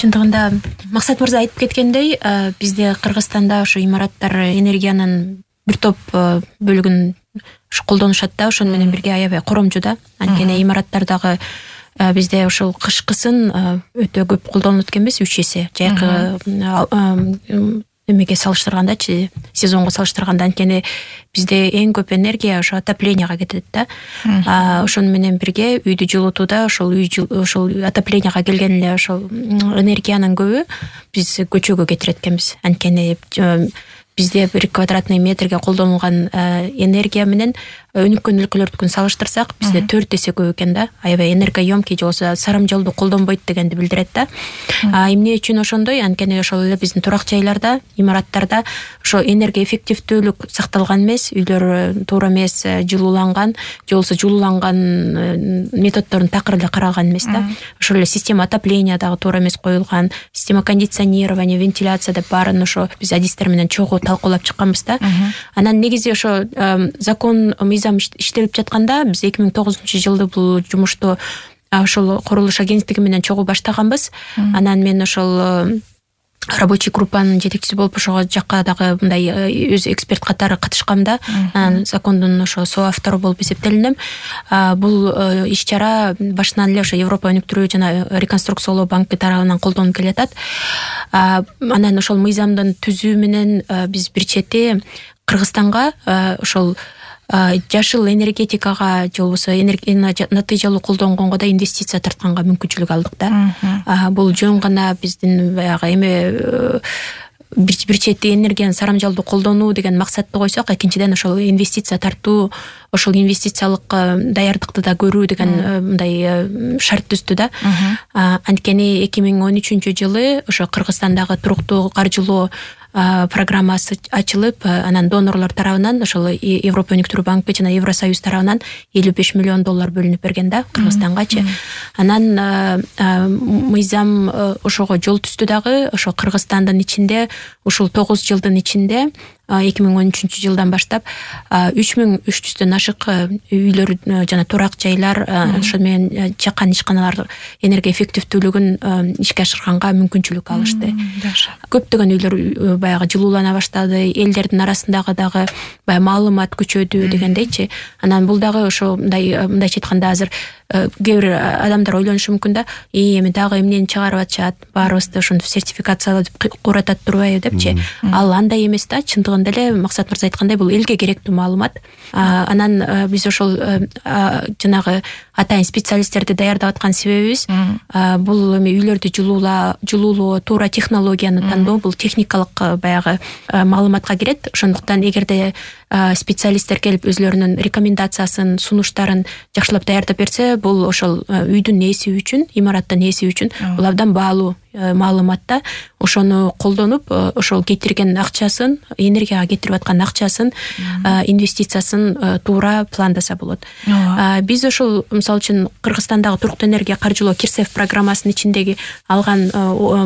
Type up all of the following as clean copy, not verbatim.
Чындыгында Максат мырза айтып кеткендей, бизде Кыргызстанда ошо имараттар энергиянын бир топ бөлүгүн колдонушат да, ошону менен бирге аябай коромжу да. Анткени имараттардагы бизде ошол кышкысын өтө көп колдонулат экенбиз, 3 эсе жайкы эмеге салыштыргандачы, сезонго салыштырганда. Анткени бизде эң көп энергия ошо отопленияга кетет да. Ошону менен бирге үйдү жылытууда ошол отопленияга келген эле ошол энергиянын көбү биз көчөгө кетирет экенбиз. Анткени бизде 1 квадратный метрге колдонулган энергия менен өнүккөн өлкөлөрдүкүн салыштырсак, бизде 4 эсе көп экен да. Аябай энергоемкий же болбосо сарамжалдуу колдонбойт дегенди билдирет да. Эмне үчүн ошондой? Анткени ошол эле биздин турак жайларда, имараттарда ошо энергия эффективдүүлүк сакталган эмес, үйлөр туура эмес жылууланган, же болбосо жылууланган методдорун такыр эле караган эмес да. Ошол эле система отопления дагы туура эмес коюлган, система кондиционирования, вентиляция деп баарын ошо биз адистер менен чогуу талкуулап чыкканбыз да. Анан негизи ошо закон мыйзам иштелип жатканда биз 2009-жылы бул жумушту ошол курулуш агенттиги менен чогуу баштаганбыз. Анан мен ошол рабочий группанын жетекчиси болуп ошого жакка дагы мындай өз эксперт катары катышкам да. Закондун ошо соавтору болуп эсептелинем. Бул иш-чара башынан эле ошо Европа өнүктүрүү жана реконструкциялоо банкы тарабынан колдонулуп келатат. Анан ошол мыйзамдын түзүү менен биз бир чети Кыргызстанга ошол жашыл энергетикага же болбосо натыйжалуу колдонгонго да инвестиция тартканга мүмкүнчүлүк алдык да. Бул жөн гана биздин баягы эме бир чети энергияны сарамжалдуу колдонуу деген максатты койсок, экинчиден ошол инвестиция тартуу, ошол инвестициялык даярдыкты да көрүү деген мындай шарт түздү да. Анткени 2013-жылы ошо Кыргызстандагы туруктуу каржылоо программасы ачылып, анан донорлор тарабынан ошол Европа өнүктүрүү банкы жана Евросоюз тарабынан $55 миллион бөлүнүп берген да Кыргызстангачы. Анан мыйзам ошого жол түздү дагы. Ошо Кыргызстандын ичинде ушул 9 жылдын ичинде 2013-жылдан баштап 3300дөн ашык үйлөр жана турак жайлар, ошол менен чакан ишканалар энергия эффективдүүлүгүн ишке ашырганга мүмкүнчүлүк алышты. Көптөгөн үйлөр баягы жылуулана баштады, элдердин арасындагы дагы баягы маалымат күчөдү дегендейчи. Анан бул дагы ошо мындайча айтканда азыр кээ бир адамдар ойлонушу мүмкүн да, эми дагы эмнени чыгарып атышат, баарыбызды ошентип сертификациялап куратат турбайбы депчи. Ал андай эмес да. Чындыгында эле Максат мырза айткандай бул элге керектүү маалымат. Анан биз ошол жанагы атайын специалисттерди даярдап аткан себебибиз бул эми үйлөрдү жылуулоо, туура технологияны тандоо, бул техникалык баягы маалыматка кирет. Ошондуктан эгерде специалисттер келип өзлөрүнүн рекомендациясын, сунуштарын жакшылап даярдап берсе, бул ошол үйдүн ээси үчүн, имараттын ээси үчүн бул абдан баалуу маалымат да. Ошону колдонуп, ошол кетирген акчасын, энергияга кетирип аткан акчасын, инвестициясын туура пландаса болот. Биз ошол мисалы үчүн Кыргызстандагы туруктуу энергия каржылоо Кирсев программасынын ичиндеги алган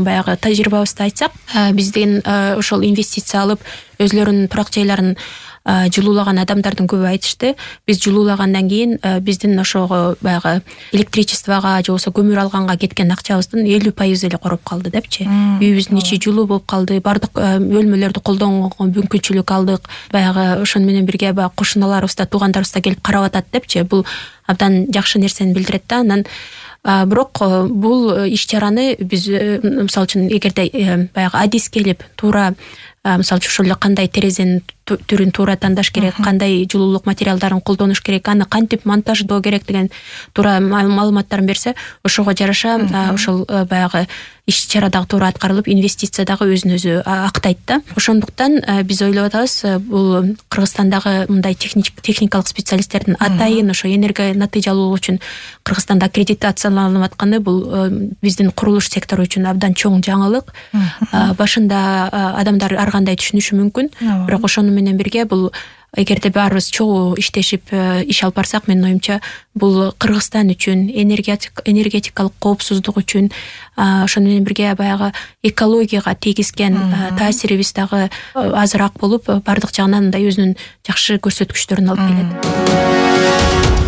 баягы тажрыйбабызды айтсак, бизден ошол инвестиция алып өзлөрүнүн турак жайларын жылуулаган адамдардын көбү айтышты. Биз жылуулагандан кийин биздин ошого баягы электричествого же болбосо көмүр алганга кеткен акчабыздын 50% эле короп калды депчи. Үйүбүздүн ичи жылуу болуп калды, бардык бөлмөлөрдү колдонгонго мүмкүнчүлүк алдык. Баягы ошону менен бирге баягы кошуналарыбыз да, туугандарыбыз да келип карап атат депчи. Бул абдан жакшы нерсени билдирет да. Анан бирок бул иш-чараны биз мисалы үчүн эгерде баягы адис келип туура мисалы үчүн ошол эле кандай терезенин түрүн туура тандаш керек, кандай жылуулук материалдарын колдонуш керек, аны кантип монтаждоо керек деген туура маалыматтарын берсе, ошого жараша ошол баягы иш-чара дагы туура аткарылып, инвестиция дагы өзүн өзү актайт да. Ошондуктан биз ойлоп атабыз, бул Кыргызстандагы мындай техникалык специалисттердин атайын ошо энергия натыйжалуулугу үчүн Кыргызстанда аккредитацияланып атканы бул биздин курулуш сектору үчүн абдан чоң жаңылык. Башында адамдар ар кандай түшүнүшү мүмкүн, бирок ошону менен бирге бул эгерде баарыбыз чогуу иштешип иш алып барсак, менин оюмча бул Кыргызстан үчүн, энергетикалык коопсуздук үчүн, ошону менен бирге баягы экологияга тийгизген таасирибиз дагы азыраак болуп, бардык жагынан мындай өзүнүн жакшы көрсөткүчтөрүн алып келет.